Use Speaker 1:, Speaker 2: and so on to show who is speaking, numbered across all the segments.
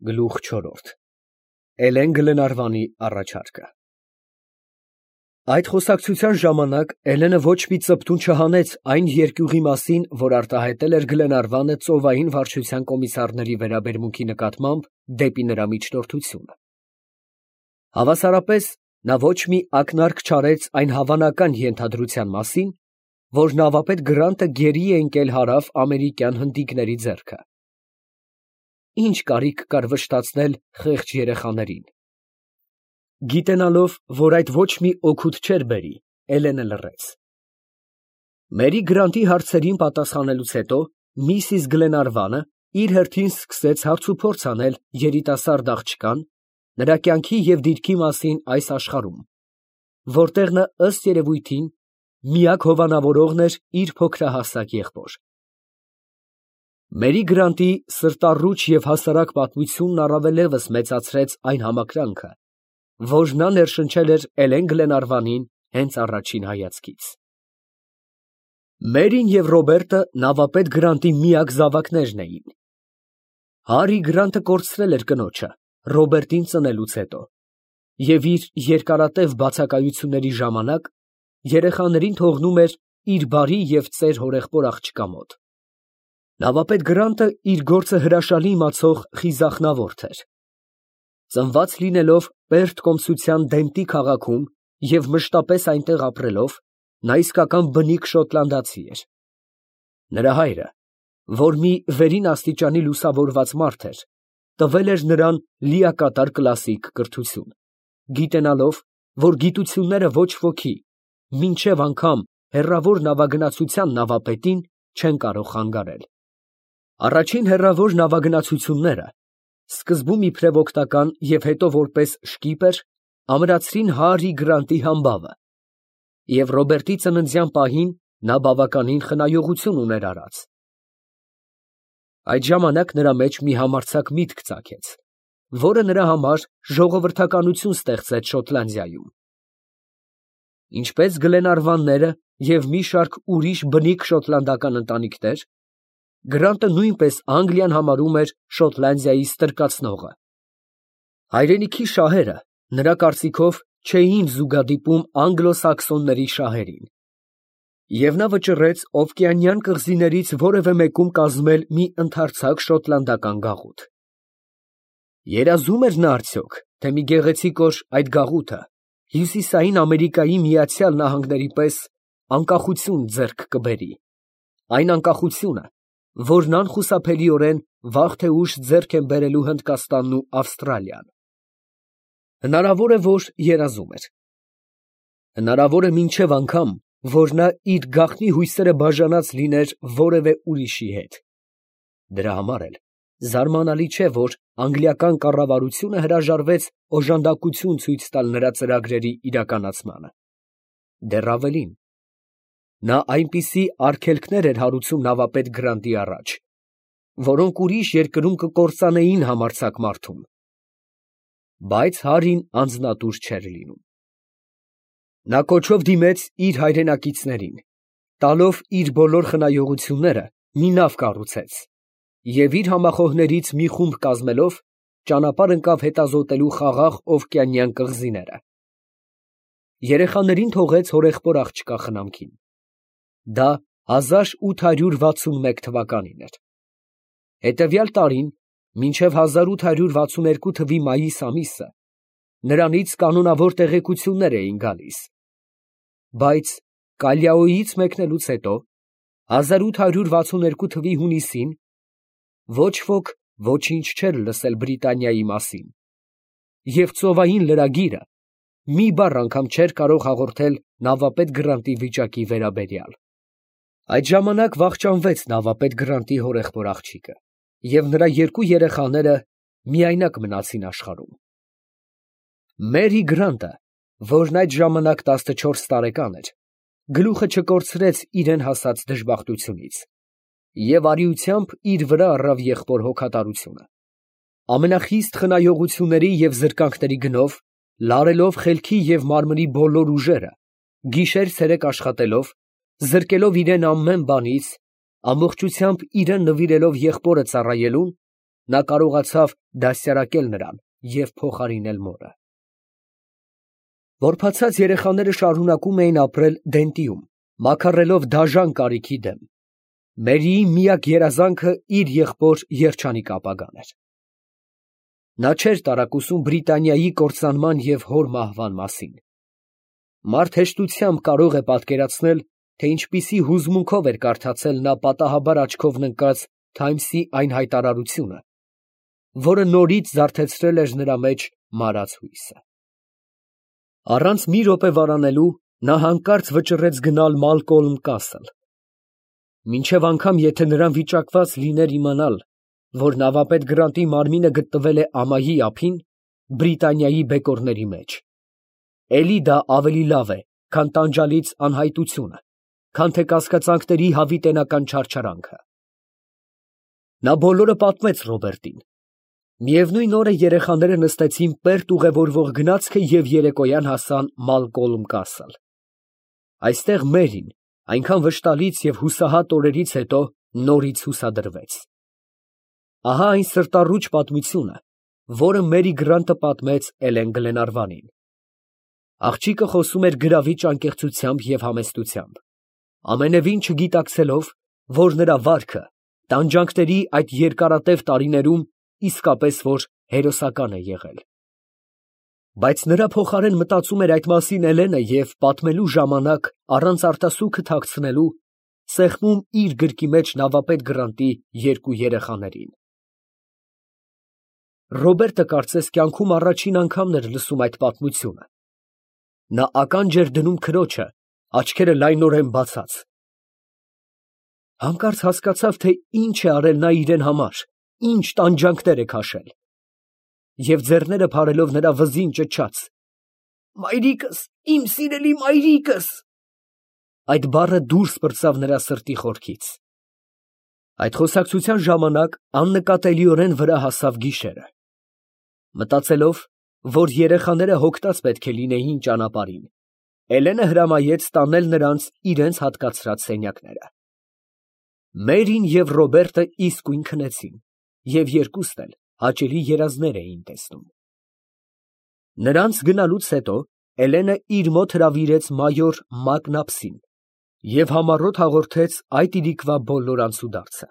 Speaker 1: Գլուխ 4 Էլեն Գլենարվանի առաջարկը Այդ խոսակցության ժամանակ Էլենը ոչ մի ծպտուն չհանեց այն երկյուղի մասին, որ արտահայտել էր Գլենարվանը ծովային վարչության կոմիսարների վերաբերմունքի նկատմամբ դեպի նրա միջնորդությունը։ Հավասարապես նա ոչ մի ակնարկ չարեց այն հավանական ենթադրության մասին, որ նավապետ Գրանտը գերի է ընկել հարավ ամերիկյան հնդիկների ձեռքը։ Ինչ կարիք կար վշտացնել խեղճ երեխաներին։ Գիտենալով, որ այդ ոչ մի օգուտ չէր բերի, Էլենը լռեց։ Մերի Գրանտի հարցերին պատասխանելուց հետո միսիս Գլենարվանը իր հերթին սկսեց հարցուփորձ անել երիտասարդ աղջկան, նրա կյանքի և դիրքի մասին այս աշխարհում, որտեղ նա ըստ երևույթին միակ հովանավորողն էր իր փոքրահասակ եղբոր։ Մերի Գրանտի սրտառուչ և հասարակ պատմությունն առավելևս մեծացրեց այն համակրանքը, որ նա ներշնչել էր Էլեն Գլենարվանին հենց առաջին հայացքից։ Մերին և Ռոբերտը նավապետ Գրանտի միակ զավակներն էին։ Հարի Գրանտը կորցրել էր կնոջը Ռոբերտին ծնելուց հետո և իր երկարատև բացակայությունների ժամանակ երեխաներին թողնում էր իր բարի և ծեր հորեղբոր աղջկա մոտ։ Նավապետ Գրանտը իր գործը հրաշալի իմացող խիզախնավորդ էր։ Ծնված լինելով Պերթ կոմսության Դենտի քաղաքում և մշտապես այնտեղ ապրելով, նա իսկական բնիկ շոտլանդացի էր։ Նրա հայրը, որ մի վերին աստիճանի լուսավորված մարդ էր, տվել էր նրան լիակատար կլասիկ կրթություն, գիտենալով, որ գիտությունները ոչ ոքի, մինչև անգամ հեռավոր նավագնացության նավապետին, չեն կարող խանգարել։ Առաջին հեռավոր նավագնացությունները, սկզբում իբրև օգնական և հետո որպես շկիպեր, ամրացրին Հարի Գրանտի համբավը, և Ռոբերտի ծննդյան պահին նա բավականին խնայողություն ուներ արած։ Այդ ժամանակ նրա մեջ մի համարձակ միտք ծագեց, որը նրա համար ժողովրդականություն ստեղծեց Շոտլանդիայում։ Ինչպես Գլենարվանները և մի շարք ուրիշ բնիկ շոտլանդական ընտանիքներ, Գրանտը նույնպես Անգլիան համարում էր Շոտլանդիայի ստրկացնողը։ Հայրենիքի շահերը, նրա կարծիքով, չէին զուգադիպում անգլոսաքսոնների շահերին, և նա վճռեց Օվկիանիան կղզիներից որևէ մեկում կազմել մի ընդարձակ շոտլանդական գաղութ։ Երազո՞ւմ էր նա արդյոք, թե մի գեղեցիկ օր այդ գաղութը Հյուսիսային Ամերիկայի Միացյալ Նահանգների պես անկախություն ձեռք կբերի, այն անկախությունը, որն անխուսափելիորեն վաղ թե ուշ ձեռք են բերելու Հնդկաստանն ու Ավստրալիան։ Հնարավոր է, որ երազում էր։ Հնարավոր է մինչև անգամ, որ նա իր գաղտնի հույսերը բաժանած լիներ որևէ ուրիշի հետ։ Դրա համար էլ զարմանալի չէ, որ անգլիական կառավարությունը հրաժարվեց օժանդակություն ցույց տալ նրա ծրագրերի իրականացմանը։ Դեռ ավելին, նա այնպիսի արգելքներ էր հարուցում նավապետ Գրանտի առաջ, որոնք ուրիշ երկրում կկործանեին համարձակ մարդուն։ Բայց Հարին անձնատուր չէր լինում։ Նա կոչով դիմեց իր հայրենակիցներին, տալով իր բոլոր խնայողությունները մի նավ կառուցեց և իր համախոհներից մի խումբ կազմելով ճանապարհ ընկավ հետազոտելու խաղաղ Օվկիանիան կղզիները։ Երեխաներին թողեց հորեղբոր աղջկա խնամքին։ Դա 1861 թվականին էր։ Հետևյալ տարին, մինչև 1862 թվականի մայիս ամիսը, նրանից կանոնավոր տեղեկություններ էին գալիս, բայց Կալիաոյից մեկնելուց հետո, 1862 թվականի հունիսին, ոչ ոք ոչինչ չէր լսել Բրիտանիայի մասին, և ծովային լրագիրը մի բառ անգամ չէր կարող հաղորդել նավապետ Գրանտի վիճակի վերաբերյալ։ Այդ ժամանակ վախճանվեց նավապետ Գրանտի հորեղբոր աղջիկը, և նրա երկու երեխաները միայնակ մնացին աշխարհում։ Մերի Գրանտը, որն այդ ժամանակ 14 տարեկան էր, գլուխը չկորցրեց իրեն հասած դժբախտությունից և արիությամբ իր վրա առավ եղբոր հոգատարությունը։ Ամենախիստ խնայողությունների և զրկանքների գնով, լարելով խելքի և մարմնի բոլոր ուժերը, գիշեր֊ցերեկ աշխատելով, զրկելով իրան ամեն բանից, ամբողջությամբ իրան նվիրելով եղբորը ծառայելուն, նա կարողացավ դաստիարակել նրան և փոխարինել մորը։ Որբացած երեխաները շարունակում էին ապրել Դենտիում, մաքարելով դաժան կարիքի դեմ։ Մերիի միակ երազանքը իր եղբոր երջանիկ ապագան էր։ Նա չէր տարակուսում Բրիտանիայի կործանման և հոր մահվան մասին։ Մարդ հեշտությամբ կարող է պատկերացնել, թե ինչպիսի հուզմունքով էր կարդացել նա պատահաբար աչքով ընկած Թայմսի այն հայտարարությունը, որը նորից զարթեցրել էր նրա մեջ մարած հույսը։ Առանց մի րոպե վարանելու նա հանկարծ վճռեց գնալ Մալկոլմ Կասլ, մինչև անգամ եթե նրան վիճակված լիներ իմանալ, որ նավապետ Գրանտի մարմինը գտնվել է ամայի ափին, Բրիտանիայի բեկորների մեջ։ Էլի դա ավելի լավ է, քան տանջալից անհայտությունը, քան թե կասկածանքների հավիտենական չարչարանքը։ Նա բոլորը պատմեց Ռոբերտին։ Միևնույն օրը երեխաները նստեցին պերտ ուղևորվող գնացքը և երեկոյան հասան Մալկոլմ Կասլ։ Այստեղ Մերին այնքան վշտալից և հուսահատ օրերից հետո նորից հուսադրվեց։ Ահա այն սրտառուչ պատմությունը, որը Մերի Գրանտը պատմեց Էլեն Գլենարվանին։ Աղջիկը խոսում էր գրավիչ անկեղծությամբ և համեստությամբ, ամենևին չգիտակցելով, որ նրա վարքը տանջանքների այդ երկարատև տարիներում իսկապես որ հերոսական է եղել։ Բայց նրա փոխարեն մտածում էր այդ մասին Էլենը և պատմելու ժամանակ, առանց արտասուքը թաքցնելու, սեղմում իր գրկի մեջ նավապետ Գրանտի երկու երեխաներին։ Ռոբերտը կարծես կյանքում առաջին անգամն էր լսում այդ պատմությունը։ Նա ականջ էր դնում քրոջը, աչքերը լայնորեն բացած։ Հանկարծ հասկացավ, թե ինչ է արել նա իրեն համար, ինչ տանջանքներ է քաշել։ Եվ ձեռները փարելով նրա վզին ճչաց. «Մայրիկս, իմ սիրելի մայրիկս»։ Այդ բառը դուրս պրծավ նրա սրտի խորքից։ Այդ խոսակցության ժամանակ աննկատելիորեն վրա հասավ գիշերը։ Մտածելով, որ երեխաները հոգտած պետք է լինեին ճանապարհին, Էլենը հրամայեց տանել նրանց իրենց հատկացրած սենյակները։ Մերին և Ռոբերտը իսկույն քնեցին, և երկուսն էլ հաճելի երազներ էին տեսնում։ Նրանց գնալուց հետո Էլենը իր մոտ հրավիրեց մայոր Մակնապսին և համառոտ հաղորդեց այդ իրիկվա բոլոր անցուդարձը։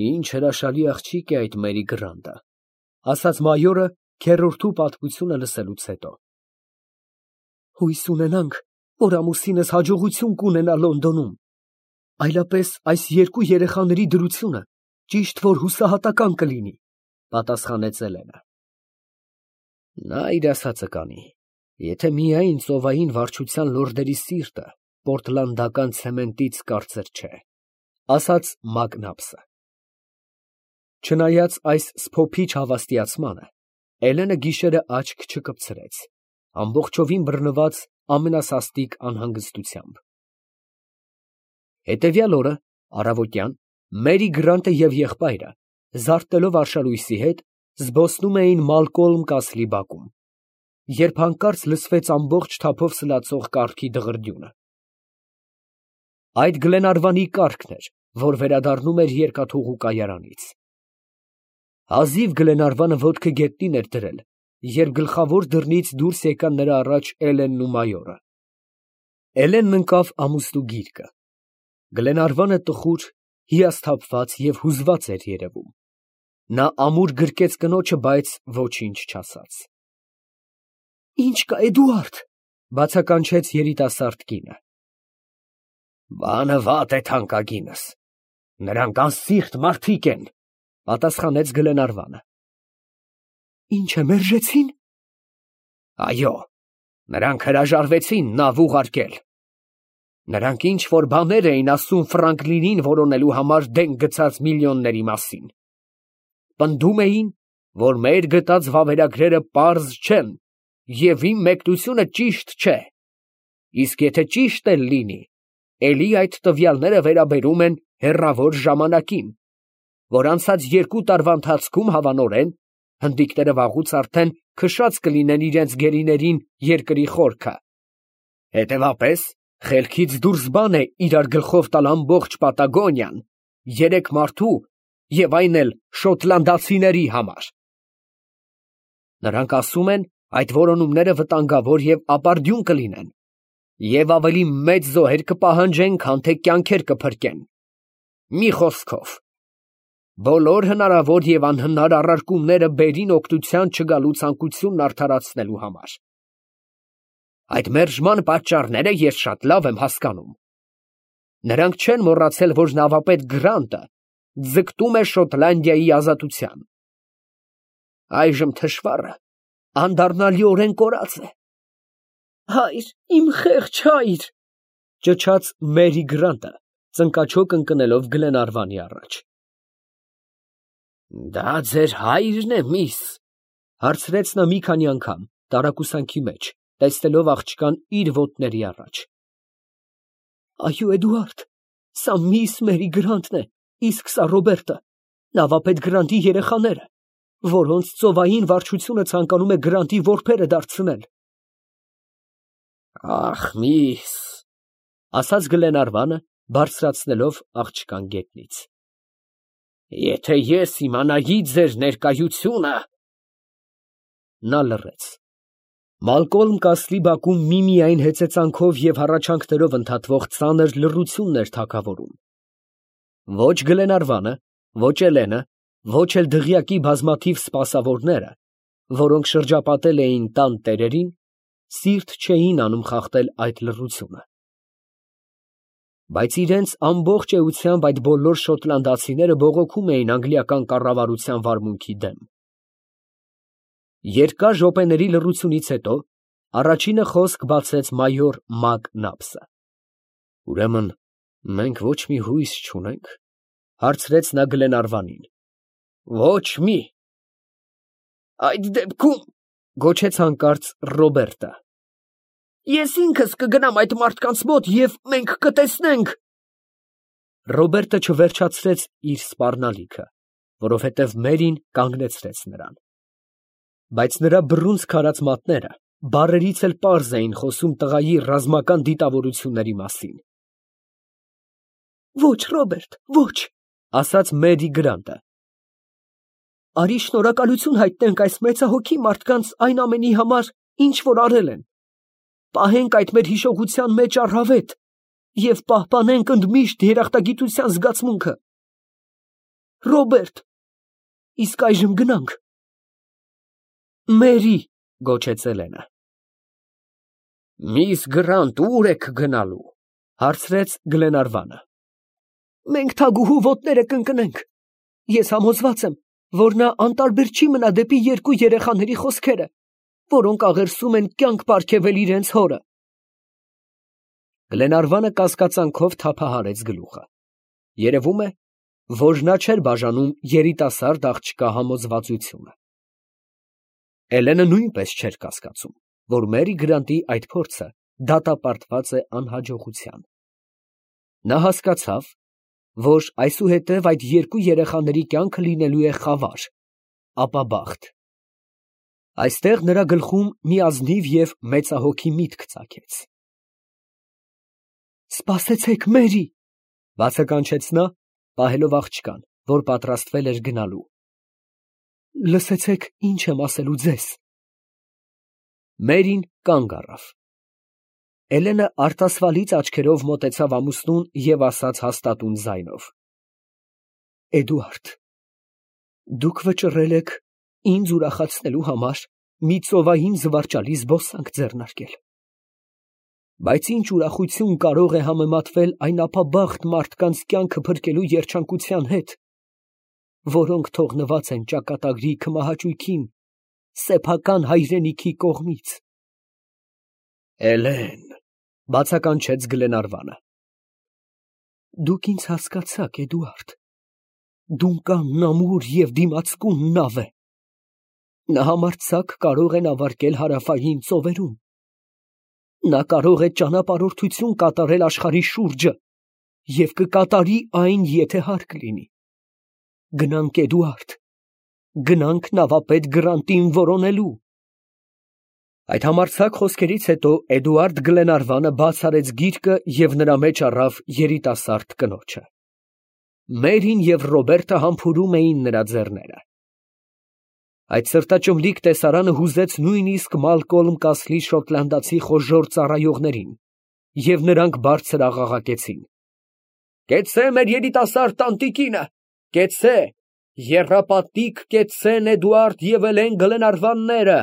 Speaker 1: «Ինչ հրաշալի աղջիկ է այդ Մերի Գրանտը», ֊ ասաց մայորը քեռորդու պատմությունը լսելուց հետո։ «Հույս ունենանք, որ ամուսինս հաջողություն կունենա Լոնդոնում, այլապես այս երկու երեխաների դրությունը ճիշտ որ հուսահատական կլինի», ֊ պատասխանեց Էլենը։ Նա իր ասածը կանի, եթե միայն ծովային վարչության լորդերի սիրտը պորտլանդական ցեմենտից կարծր չէ, ֊ ասաց Մակնապսը։ Չնայած այս սփոփիչ հավաստիացմանը, Էլենը գիշերը աչք չկպցրեց, ամբողջովին բռնված ամենասաստիկ անհանգստությամբ։ Հետևյալ օրը առավոտյան Մերի Գրանտը և եղբայրը, զարթնելով արշալույսի հետ, զբոսնում էին Մալկոլմ Կասլի բակում, երբ հանկարծ լսվեց ամբողջ թափով սլացող կառքի դղրդյունը։ Այդ Գլենարվանի կառքն էր, որ վերադառնում էր երկաթուղու կայարանից։ Հազիվ Գլենարվանը ոտքը գետնին էր դրել, երբ գլխավոր դռնից դուրս եկան նրա առաջ Էլենն ու մայորը։ Էլենն ընկավ ամուսնու գիրկը։ Գլենարվանը տխուր, հիասթափված և հուզված էր երևում։ Նա ամուր գրկեց կնոջը, բայց ոչինչ չասաց։ «Ի՞նչ կա, Էդուարդ», ֊ բացականչեց երիտասարդ կինը։ «Բանը վատ է, թանկագինս, նրանք անսիրտ մարդիկ են», ֊ պատասխանեց Գլենարվանը։ «Ի՞նչ է, մերժեցի՞ն»։ «Այո, նրանք հրաժարվեցին նավ ուղարկել։ Նրանք ինչ֊որ բաներ էին ասում Ֆրանկլինին որոնելու համար դենք գցած միլիոնների մասին։ Պնդում էին, որ մեր գտած վավերագրերը պարզ չեն և իմ մեկնությունը ճիշտ չէ։ Իսկ եթե ճիշտ էլ լինի, էլի այդ տվյալները վերաբերում են հեռավոր ժամանակին, որ անցած 2 տարվա ընթացքում հավանորեն հնդիկները վաղուց արդեն քշած կլինեն իրենց գերիներին երկրի խորքը։ Հետևապես, խելքից դուրս բան է իրար գլխով տալ ամբողջ Պատագոնիան 3 մարդու և այն էլ շոտլանդացիների համար։ Նրանք ասում են, այդ որոնումները վտանգավոր և ապարդյուն կլինեն, և ավելի մեծ զոհեր կպահանջեն, քան թե կյանքեր կփրկեն։ Մի խոսքով, բոլոր հնարավոր և անհնար առարկումները բերին օգնության չգալու ցանկությունն արդարացնելու համար։ Այդ մերժման պատճառները ես շատ լավ եմ հասկանում։ Նրանք չեն մոռացել, որ նավապետ Գրանտը ձգտում է Շոտլանդիայի ազատության։ Այժմ թշվառը անդառնալիորեն կորած է։ Հայր, իմ խեղճ հայր, ճչաց Մերի Գրանտը, ծնկաչոք ընկնելով Գլենարվանի առաջ։ Դա ձեր հայրն է, միս, հարցրեց նա մի քանի անգամ, տարակուսանքի մեջ, տեսնելով աղջկան իր ոտների առաջ։ Այո, Էդուարդ, սա միս Մերի Գրանտն է, իսկ սա Ռոբերտը, նավապետ Գրանտի երեխաները, որոնց ծովային վարչությունը ցանկանում է Գրանտի որբերը դարձնել։ Ախ, միս, ասաց Գլենարվանը, բարձրացնելով աղջկան գետնից։ Եթե ես իմանայի ձեր ներկայությունը… Նա լռեց։ Մալկոլմ Կասլի բակում միմիայն հեծեծանքով և հառաչանքներով ընդհատվող ծանր լռությունն էր թագավորում։ Ոչ Գլենարվանը, ոչ Էլենը, ոչ էլ դղյակի բազմաթիվ սպասավորները, որոնք շրջապատել էին տան տերերին, սիրտ չէին անում խախտել այդ լռությունը։ Բայց իրենց ամբողջ էությամբ այդ բոլոր շոտլանդացիները բողոքում էին անգլիական կառավարության վարմունքի դեմ։ Երկար րոպեների լռությունից հետո առաջինը խոսք բացեց մայոր Մակնաբսը։ Ուրեմն մենք ոչ մի հույս չունենք, հարցրեց նա Գլենարվանին։ Ոչ մի։ Այդ դեպքում, գոչեց հանկարծ Ռոբերտը, ես ինքս կգնամ այդ մարդկանց մոտ և մենք կտեսնենք։ Ռոբերտը չվերջացրեց իր սպառնալիքը, որովհետև Մերին կանգնեցրեց նրան։ Բայց նրա բռունցք քարած մատները բառերից էլ պարզ էին խոսում տղայի ռազմական դիտավորությունների մասին։ Ոչ, Ռոբերտ, ոչ, ասաց Մերի Գրանտը։ Արի շնորհակալություն հայտնենք այս մեծահոգի մարդկանց այն ամենի համար, ինչ որ արել են։ Պահենք այդ մեր հիշողության մեջ առավետ և պահպանենք ընդմիշտ երախտագիտության զգացմունքը։ Ռոբերտ, իսկ այժմ գնանք։ Մերի, գոչեց Էլենը։ Միս Գրանտ, ո՞ւր եք գնալու, հարցրեց Գլենարվանը։ Մենք թագուհու ոտները կընկնենք։ Ես համոզված եմ, որ նա անտարբեր չի մնա դեպի երկու երեխաների խոսքերը, որոնք աղերսում են կյանք պարգևել իրենց հորը։ Գլենարվանը կասկածանքով թափահարեց գլուխը։ Երևում է, որ նա չէր բաժանում երիտասարդ աղջկա համոզվածությունը։ Էլենը նույնպես չէր կասկածում, որ Մերի Գրանտի այդ փորձը դատապարտված է անհաջողության։ Նա հասկացավ, որ այսուհետև այդ երկու երեխաների կյանքը լինելու է խավար, ապաբախտ։ Այստեղ նրա գլխում մի ազնիվ և մեծահոգի միտք ծագեց։ Սպասեցեք, Մերի, բացականչեց նա, պահելով աղջկան, որ պատրաստվել էր գնալու։ Լսեցեք, ինչ եմ ասելու ձեզ։ Մերին կանգ առավ։ Էլենը արտասվալից աչքերով մոտեցավ ամուսնուն և ասաց հաստատուն ձայնով. Էդուարդ, դուք վճռել եք ինձ ուրախացնելու համար մի ծովային զվարճալի զբոսանք ձեռնարկել։ Բայց ինչ ուրախություն կարող է համեմատվել այն ապաբախտ մարդկանց կյանքը փրկելու երջանկության հետ, որոնք թողնված են ճակատագրի քմահաճույքին սեփական հայրենիքի կողմից։ Էլեն, բացականչեց Գլենարվանը։ Դուք ինձ հասկացաք, Էդուարդ։ Դունկանն ամուր և դիմացկուն նավ է։ Նա համարձակ կարող է նավարկել հարավային ծովերում։ Նա կարող է ճանապարհորդություն կատարել աշխարհի շուրջը և կկատարի այն, եթե հարկ լինի։ Գնանք, Էդուարդ, գնանք նավապետ Գրանտին որոնելու։ Այդ համարձակ խոսքերից հետո Էդուարդ Գլենարվանը բաց արեց գիրկը և նրա մեջ առավ երիտասարդ կնոջը։ Մերին և Ռոբերտը համբուրում էին նրա ձեռները։ Այդ սրտաճմլիկ տեսարանը հուզեց նույնիսկ Մալկոլմ Կասլի շոտլանդացի խոժոռ ծառայողներին, և նրանք բարձր աղաղակեցին. «Կեցցե մեր երիտասարդ տանտիկինը, կեցցե, եռապատիկ կեցցեն Էդուարդ և Էլեն Գլենարվանները»։